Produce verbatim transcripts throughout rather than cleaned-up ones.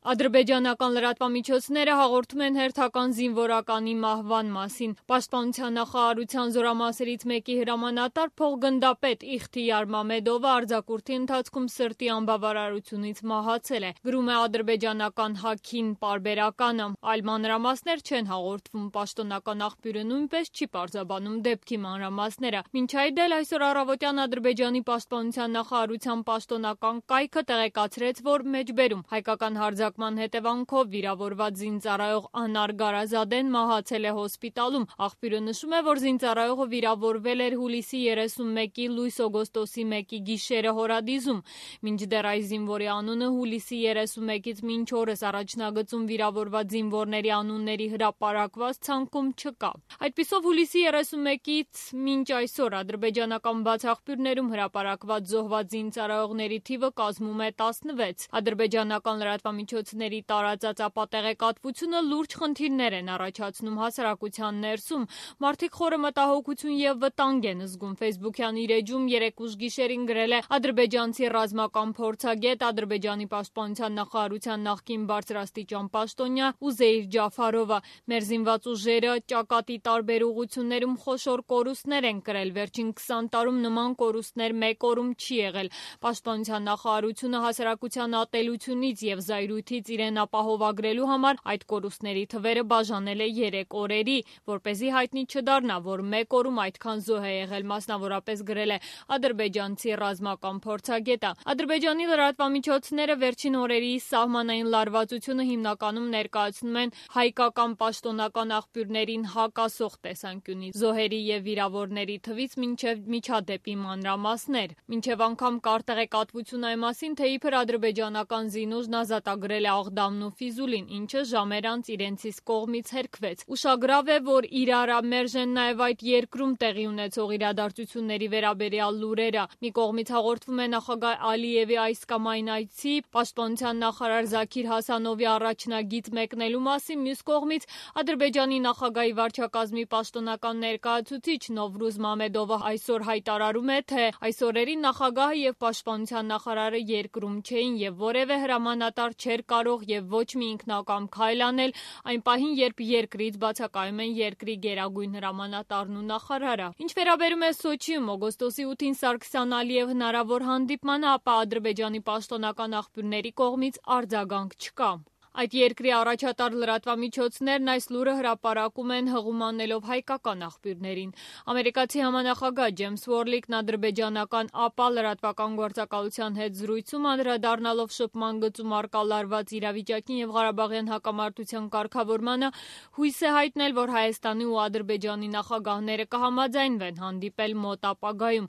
Ադրբեջանական լրատվամիջոցները հաղորդում են հերթական զինվորականի մահվան մասին։ Պաշտպանության նախարարության զորամասերից մեկի հրամանատար փոխգնդապետ Իխթիյար Մամեդովը արձակուրդի ընթացքում սրտի անբավարարությունից մահացել է, գրում է ադրբեջանական Հաքին պարբերականը։ Այլ մանրամասներ չեն հաղորդվում, պաշտոնական աղբյուրը նույնպես չի պարզաբանում դեպքի մանրամասները։ Մինչ այդ էլ այսօր առավոտյան Ադրբեջանի պաշտպանության նախարարության պաշտոնական կայքը տեղեկացրեց, որ մեջբերում հայկական հարձակման հետևանքով վիրավորված զինծառայող Անար Գարազադեն մահացել է հոսպիտալում։ Աղբյուրը նշում է, որ զինծառայողը վիրավորվել էր հուլիսի երեսունմեկի լույս-օգոստոսի մեկի գիշերը Հորադիզում։ Մինչդեռ այս զինվորի անունը հուլիսի երեսունմեկից մինչ օրս առաջնագծում վիրավորված զինվորների անունների հրապարակված ցանկում չկա։ Այդպիսով հուլիսի երեսունմեկից մինչ այսօր ադրբեջանական բաց աղբյուրներում հրապարակված զոհված զինծառայողների թիվը կազմում է տասնվեց։ Ադրբեջանական լրատվամիջոցների տարածած ապատեղեկատվությունը լուրջ խնդիրներ են առաջացնում հասարակության ներսում։ Մարդիկ խորը մտահոգություն եւ վտանգ են զգում։ Facebook-յան իր էջում երեկ ուշ գիշերին գրել է ադրբեջանցի ռազմական փորձագետ, Ադրբեջանի պաշտպանության նախարարության նախկին բարձրաստիճան պաշտոնյա Ուզեյր Ջաֆարովը։ Մեր զինված ուժերը ճակատի տարբեր ուղղություններում խոշոր կորուստներ են կրել։ Վերջին քսան տարում նման կորուստներ մեկ օրում չի եղել։ Պաշտպանության նախարարությունը հասարակության ատելությունից եւ զայրույթից իրեն ապահովագրելու համար այդ կորուստների թվերը բաժանել է երեք օրերի, որպեսզի հայտնի չդառնա, որ մեկ օրում այդքան զոհ է եղել, մասնավորապես գրել է ադրբեջանցի ռազմական փորձագետը։ Ադրբեջանի լրատվամիջոցները վերջին օրերի սահմանային լարվածությունը հիմնականում ներկայացնում են հայկական պաշտոնական աղբյուրներին հակասող տեսանկյունից։ Զոհերի եւ վիրավորների թվից մինչեւ միջադեպի մանրամասներ։ Մինչեւ անգամ կար տեղեկատվություն այն մասին, թե իբր ադրբեջանական զինուժն ազատագրել է Աղդամն ու Ֆիզուլին, ինչը ժամեր անց իրենցից կողմից հերքվեց։ Ուշագրավ է, որ իրարա մերժ են նաև այդ երկրում տեղի ունեցող իրադարձությունների վերաբերյալ լուրերը։ Մի կողմից հաղորդվում է նախագահ Ալիևի այս կամ այն այցի, պաշտպանության նախարար Զաքիր Հասանովի առաջնագիծ մեկնելու մասին, մյուս կողմից Ադրբեջանի նախագահի վարչակազմի պաշտոնական ներկայացուցիչ Նովրուզ Մամեդովը այսօր հայտարարում է, թե այս օրերին նախագահը եւ պաշտպանության նախարարը երկրում չէին եւ որևէ հրամանատար չէր կարող եւ ոչ մի ինքնակամ քայլ անել այն պահին, երբ երկրից բացակայում են երկրի գերագույն հրամանատարն ու նախարարը։ Ինչ վերաբերում է Սոչիում օգոստոսի ութին Սարգսյան Ալիև հնարավոր հանդիպմանը, ապա Ադրբեջանի պաշտոնական աղբյուրների կողմից արձագանք չկա։ Այդ երկրի առաջատար լրատվամիջոցներն այս լուրը հրապարակում են հղում անելով հայկական աղբյուրներին։ Ամերիկացի համանախագահ Ջեյմս Ուորլիկն ադրբեջանական ԱՊԱ լրատվական գործակալության հետ զրույցում անդրադառնալով շփման գծում առկա լարված իրավիճակին եւ Ղարաբաղյան հակամարտության կարգավորմանը հույս է հայտնել, որ Հայաստանի ու Ադրբեջանի նախագահները կհամաձայնվեն հանդիպել մոտ ապագայում։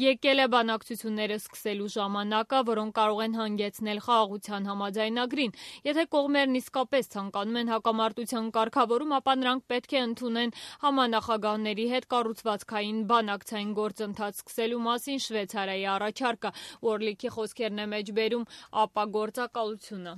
Եկել է բանակցությունները սկսելու ժամանակը, որոնք կարող են հանգեցնել խաղաղության համաձայնագրին։ Եթե կողմերն իսկապես ցանկանում են հակամարտության կարգավորում, ապա նրանք պետք է ընդունեն համանախագահների հետ կառուցվածքային բանակցային գործընթաց սկսելու մասին Շվեյցարիայի առաջարկը։ Ուորլիքի խոսքերն է մեջբերում ԱՊԱ գործակալությունը։